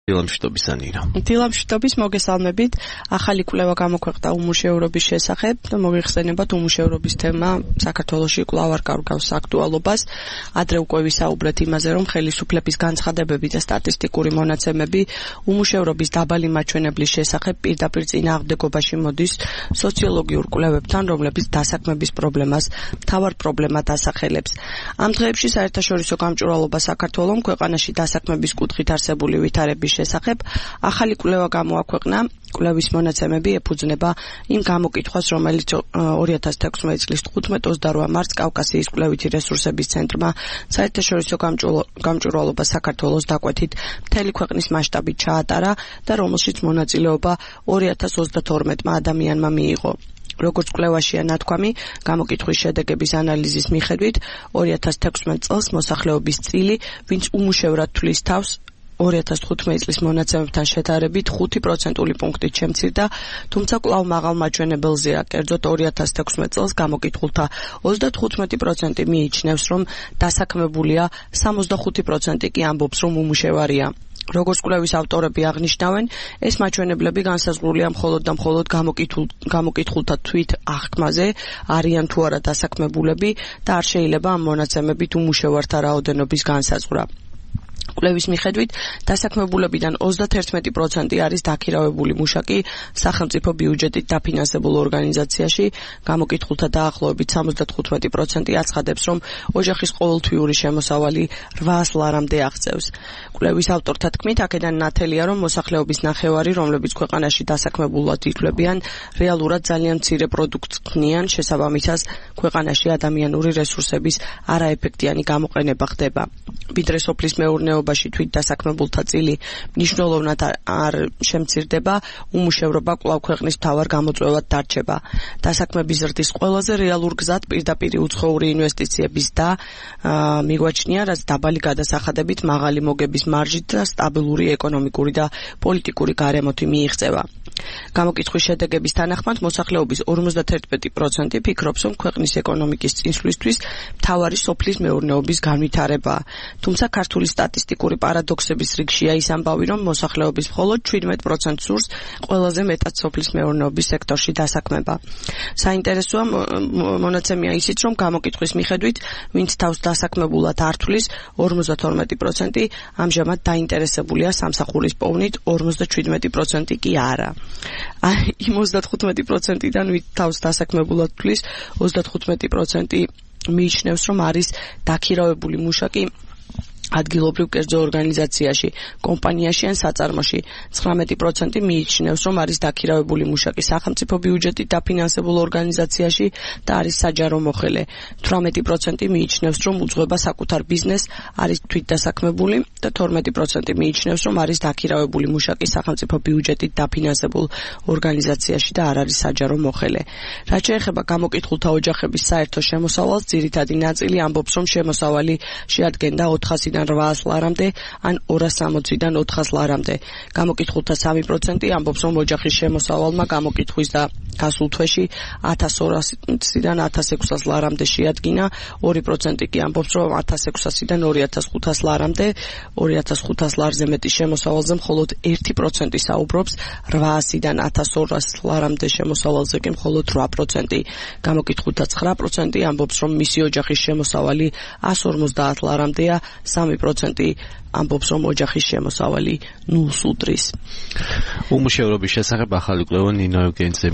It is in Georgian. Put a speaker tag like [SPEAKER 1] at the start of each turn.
[SPEAKER 1] დილამშვიდობის ანინა.
[SPEAKER 2] დილამშვიდობის მოგესალმებით. ახალი კვლევა გამოქვეყნდა უმუშევრობის შესახებ და მოიხსენებათ უმუშევრობის თემა საქართველოში კვლავ არ კარგავს აქტუალობას. ადრე უკვე ვისაუბრეთ იმაზე, რომ ხელისუფლების განცხადებები და სტატისტიკური მონაცემები უმუშევრობის დაბალი მაჩვენებლის შესახებ პირდაპირ წინააღმდეგობაში მოდის სოციოლოგიურ კვლევებთან, რომლებიც დასაქმების პრობლემას მთავარ პრობლემად ასახელებს. ამ დღეებში საერთაშორისო გამჭვირვალობა საქართველოს ქვეყანაში დასაქმების კუთხით არსებული ვითარების შესახებ ახალი კვლევა გამოაქვეყნა. კვლევის მონაცემები ეფუძნება იმ გამოკითხვას, რომელიც 2016 წლის 15-28 მარტს კავკასიის კვლევითი რესურსების ცენტრმა საერთაშორისო გამჭვირვალობა საქართველოს დაკვეთით მთელი ქვეყნის მასშტაბით ჩაატარა და რომელშიც მონაწილეობა 2032 ადამიანმა მიიღო. როგორც კვლევაშია ნათქვამი, გამოკითხვის შედეგების ანალიზის მიხედვით 2016 წელს მოსახლეობის წილი, ვინც უმუშევრად თვლის თავს 2015 წლის მონაცემებთან შედარებით 5% პუნქტით შემცირდა, თუმცა კვლავ მაღალ მაჩვენებელზეა. კერძოდ 2016 წელს გამოკითხულთა 35% მიიჩნევს, რომ დასაქმებულია, 65% კი ამბობს, რომ უმუშევარია. როგორც კვლევის ავტორები აღნიშნავენ, ეს მაჩვენებლები განსაზღვრულია მხოლოდ და მხოლოდ გამოკითხულთა თვით აღქმაზე, არიან თუ არა დასაქმებულები და არ შეიძლება ამ მონაცემებით უმუშევართა რაოდენობის განსაზღვრა. კვლევის მიხედვით დასაქმებულებიდან 31% არის დაქირავებული მუშაკი სახელმწიფო ბიუჯეტით დაფინანსებულ ორგანიზაციაში. გამოკითხულთა დაახლოებით 75% აცხადებს, რომ ოჯახის ყოველთვიური შემოსავალი 800 ლარამდე აღწევს. კვლევის ავტორთა თქმით, აქედან ნათელია, რომ მოსახლეობის ნახევარი, რომლებიც ქვეყანაში დასაქმებულად ითვლებიან, რეალურად ძალიან მცირე პროდუქტს ქმნიან, შესაბამისად, ქვეყანაში ადამიანური რესურსების არაეფექტიანი გამოყენება ხდება. ვიდრე სოფლის მეურნეობაში თვით დასაქმებულთა წილი მნიშვნელოვნად არ შემცირდება, უმუშევრობა კვლავ ქვეყნის მთავარ გამოწვევად დარჩება. დასაქმების ზრდის ყველაზე რეალურ გზად პირდაპირი უცხოური ინვესტიციების და მიგვაჩნია, რაც დაბალი გადასახადებით, მაღალი მოგების მარჟით და სტაბილური ეკონომიკური და პოლიტიკური გარემოთი მიიღწევა. გამოკითხვის შედეგების თანახმად მოსახლეობის 51% ფიქრობს, რომ ქვეყნის ეკონომიკის წინსვლისთვის მთავარი სოფლის მეურნეობის განვითარებაა. თუმცა ქართული სტატისტიკური პარადოქსების რიგშია ის ამბავი, რომ მოსახლეობის მხოლოდ 17% სურს ყველაზე მეტად სოფლის მეურნეობის სექტორში დასაქმება. საინტერესოა მონაცემია ისიც, რომ გამოკითხვის მიხედვით, ვინც თავს დასაქმებულად არ თვლის, 52% ამჟამად დაინტერესებულია სამსახურის პოვნით, 57% კი არა. იმ 35%-დან ვინც თავს დასაქმებულად თვლის, 35% მიიჩნევს, რომ არის დაქირავებული მუშაკი ადგილობრივ კერძო ორგანიზაციაში, კომპანიაში ან საწარმოში. 19% მიიჩნევს, რომ არის დაქირავებული მუშაკი სახელმწიფო ბიუჯეტით დაფინანსებულ ორგანიზაციაში და არის საჯარო მოხელე. 18% მიიჩნევს, რომ უძღვება საკუთარ ბიზნესს, არის თვითდასაქმებული და 12% მიიჩნევს, რომ არის დაქირავებული მუშაკი სახელმწიფო ბიუჯეტით დაფინანსებულ ორგანიზაციაში და არ არის საჯარო მოხელე. რაც შეეხება გამოკითხულთა ოჯახების საერთო შემოსავალს, ძირითადი ნაწილი ამბობს, რომ შემოსავალი შეადგენდა 400-დან 800 ლარამდე ან 260-დან 400 ლარამდე. გამოკითხულთა 3% ამბობს, რომ ოჯახის შემოსავალმა გამოკითხვის და გასულ თვეში 1200-დან 1600 ლარამდე შეადგინა, 2% კი ამბობს, რომ 1600-დან 2500 ლარამდე, 2500 ლარზე მეტი შემოსავალზე მხოლოდ 1% საუბრობს, 800-დან 1200 ლარამდე შემოსავალზე კი მხოლოდ 8%. გამოკითხულთა 9% ამბობს, რომ მისი ოჯახის შემოსავალი 150 ლარამდეა, 3% ამბობს, რომ ოჯახის შემოსავალი 0-ს უდრის.
[SPEAKER 1] უმუშევრობის შესახებ ახალი კვლევა ნინო ევგენიძე